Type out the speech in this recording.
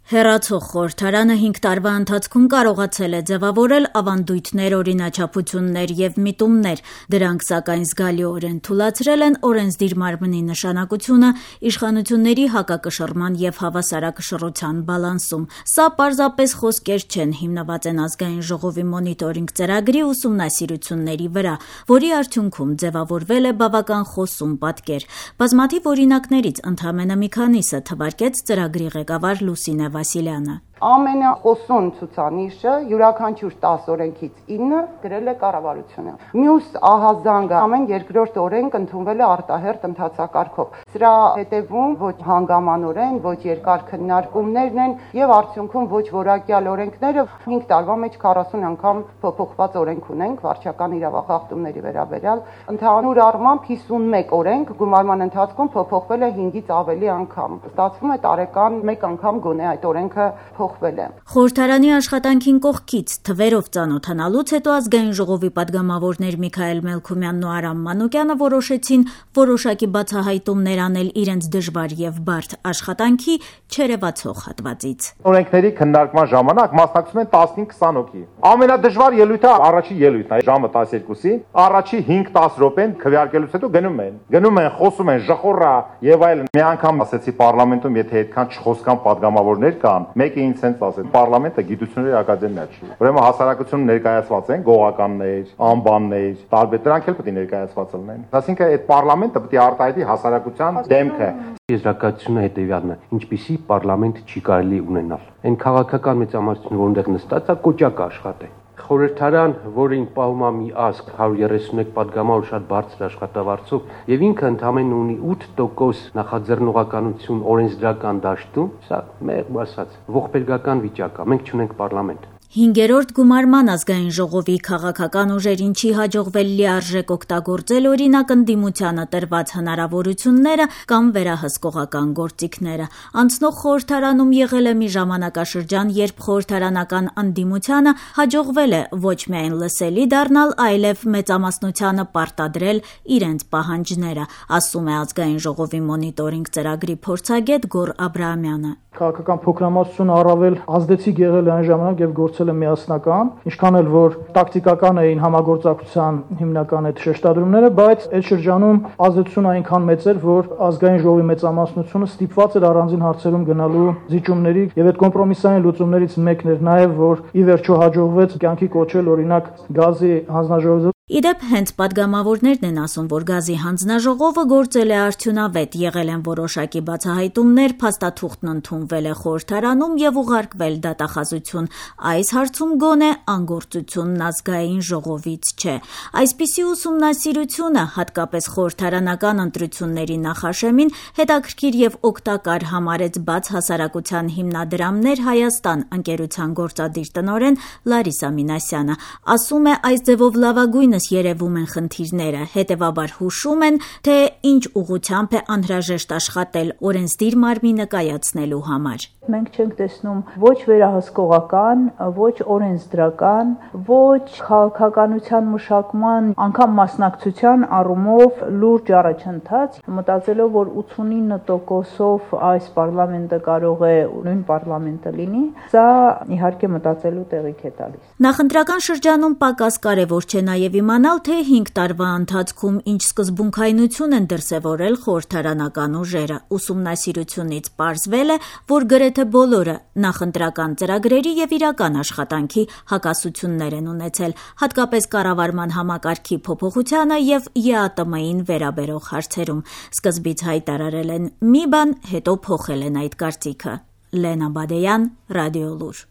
Հեռացող խորհրդարանը 5 տարվա ընթացքում կարողացել է ձևավորել ավանդույթներ, օրինաչափություններ և միտումներ, դրանք սակայն զգալիորեն թուլացրել են օրենսդիր մարմնի նշանակությունը իշխանությունների հակակշռման և հավասարակշռության բալանսում։ Սա պարզապես խոսքեր չեն, հիմնված են Ազգային ժողովի մոնիտորինգ ծրագրի ուսումնասիրությունների վրա, որի արդյունքում ձևավորվել է բավական խոսուն պատկեր։ Բազմաթիվ օրինակներից ընդամենը մի քանիսը թվարկեց ծրագրի ղեկավար Լուսինե Վասիլյանը։ Ամենախոսուն ցուցանիշը յուրաքանչյուր 10 օրենքից 9 գրել է կառավարությունը։ Մյուս ահազանգը ամեն երկրորդ օրենք ընդունվել է արտահերթ ընթացակարգով։ Սրա հետևում ոչ հանգամանորեն, ոչ երկար քննարկումներն են եւ արդյունքում ոչ որակյալ օրենքները 5 տարվա մեջ 40 անգամ փոփոխված օրենք ունենք վարչական իրավախախտումների վերաբերյալ։ Ընդհանուր առմամբ 51 օրենք գումարման ընթացքում փոփոխվել է 5-ից ավելի անգամ։ Ստացվում է տարեկան 1 անգամ գոնե այդ օրենքը Խորհրդարանի աշխատանքին կողքից թվերով ծանոթանալուց հետո Ազգային ժողովի պատգամավորներ Միքայել Մելքումյանն ու Արամ Մանուկյանը որոշեցին որոշակի բացահայտումներ անել իրենց դժվար եւ բարդ աշխատանքի չերևացող հատվածից։ Օրենքների քննարկման ժամանակ մասնակցում են 15-20 հոգի։ Ամենադժվար ելույթը առաջի ելույթն է, ժամը 12-ին, առաջի 5-10 րոպեն քվեարկելուց հետո գնում են, խոսում են, ժխորա եւ այլն։ Մի անգամ ասեցի պարլամենտում, եթե այդքան չխոսքան պատգամավորներ կան, մեկը ինձ հենց ասել, պարլամենտը գիտությունների ակադեմիա չի։ Ուրեմն հասարակությունում ներկայացված են գողականներ, անբաններ, տարբեր դրանք էլ պետք է ներկայացված լինեն։ Այսինքն այդ պարլամենտը պետք է արտահայտի հասարակության դեմքը։ Եզրակացությունը հետևյալն է, ինչպիսի պարլամենտ չի կարելի ունենալ։ Այն քաղաքական մեծամասնությունը, որոնտեղ նստած է, կոճակ աշխատի։ Խորհրդարան, որին պահում է մի ազգ 131 պատգամավոր շատ բարձր աշխատավարձով եւ ինքը ընդամենը ունի 8% նախաձեռնողականություն օրենսդրական դաշտում, սա մեղմ ասած ողբերգական վիճակ է, մենք չունենք պարլամենտ։ 5-րդ գումարման Ազգային ժողովի քաղաքական ուժերին չի հաջողվել լիարժեք օգտագործել օրինակ ընդդիմությանը տրված հնարավորությունները կամ վերահսկողական գործիքները։ Անցնող խորհրդարանում եղել է մի ժամանակաշրջան, երբ խորհրդարանական ընդդիմությանը հաջողվել է ոչ միայն լսելի դառնալ, այլև մեծամասնությանը պարտադրել իրենց պահանջները, ասում է Ազգային ժողովի մոնիտորինգ ծրագրի փորձագետ Գոռ Աբրահամյանը։ Քաղաքական փոքրամասնությունը առավել ազդեցիկ եղել է այն ժամանակ եւ գործել է միասնական, ինչքան էլ որ տակտիկական էին համագործակցության հիմնական այդ շեշտադրումները, բայց այդ շրջանում ազդեցությունը այնքան մեծ էր, որ Ազգային ժողովի մեծամասնությունը ստիպված էր առանձին հարցերում գնալու զիջումների եւ այդ կոմպրոմիսային լուծումներից մեկն էր նաեւ, որ ի վերջո հաջողվեց կյանքի կոչել օրինակ գազի հանձնաժողովը։ Իդեպ հենց պատգամավորներն են ասում, որ գազի հանձնաժողովը գործել է արդյունավետ, եղել են որոշակի բացահայտումներ, փաստաթուղթն ընդունվել է խորհրդարանում եւ ուղարկվել դատախազություն։ Այս հարցում գոնե անգործությունն Ազգային ժողովից չէ։ Այսպիսի ուսումնասիրությունը, հատկապես խորհրդարանական ընտրությունների նախաշեմին, հետաքրքիր եւ օգտակար համարեց Բաց հասարակության հիմնադրամներ Հայաստան ընկերության գործադիր տնօրեն Լարիսա Մինասյանը։ Ասում է, այս ձևով լավագույն երևում են խնդիրները, հետևաբար հուշում են, թե ինչ ուղղությամբ է անհրաժեշտ աշխատել օրենսդիր մարմինը կայացնելու համար։ Մենք չենք տեսնում ոչ վերահսկողական, ոչ օրենսդրական, ոչ քաղաքականության մշակման, անգամ մասնակցության առումով լուրջ առաջընթաց, մտածելով, որ 89%-ով այս պարլամենտը կարող է նույն պարլամենտը լինի, սա իհարկե մտածելու տեղիք է տալիս։ Նախընտրական շրջանում պակաս կարևոր չէ նաև իմանալ, թե 5 տարվա ընթացքում ինչ սկզբունքայնություն են դրսևորել խորհրդարանական ուժերը։ Ուսումնասիրությունից պարզվել է, որ գրեթե բոլորը նախընտրական ծրագրերի եւ իրական աշխատանքի հակասություններ են ունեցել, հատկապես կառավարման համակարգի փոփոխությանը եւ ԵԱՏՄ-ին վերաբերող հարցերում։ Սկզբից հայտարարել են մի բան, հետո փոխել են այդ կարծիքը։ Լենա Բադեյան, Ռադիոլուր։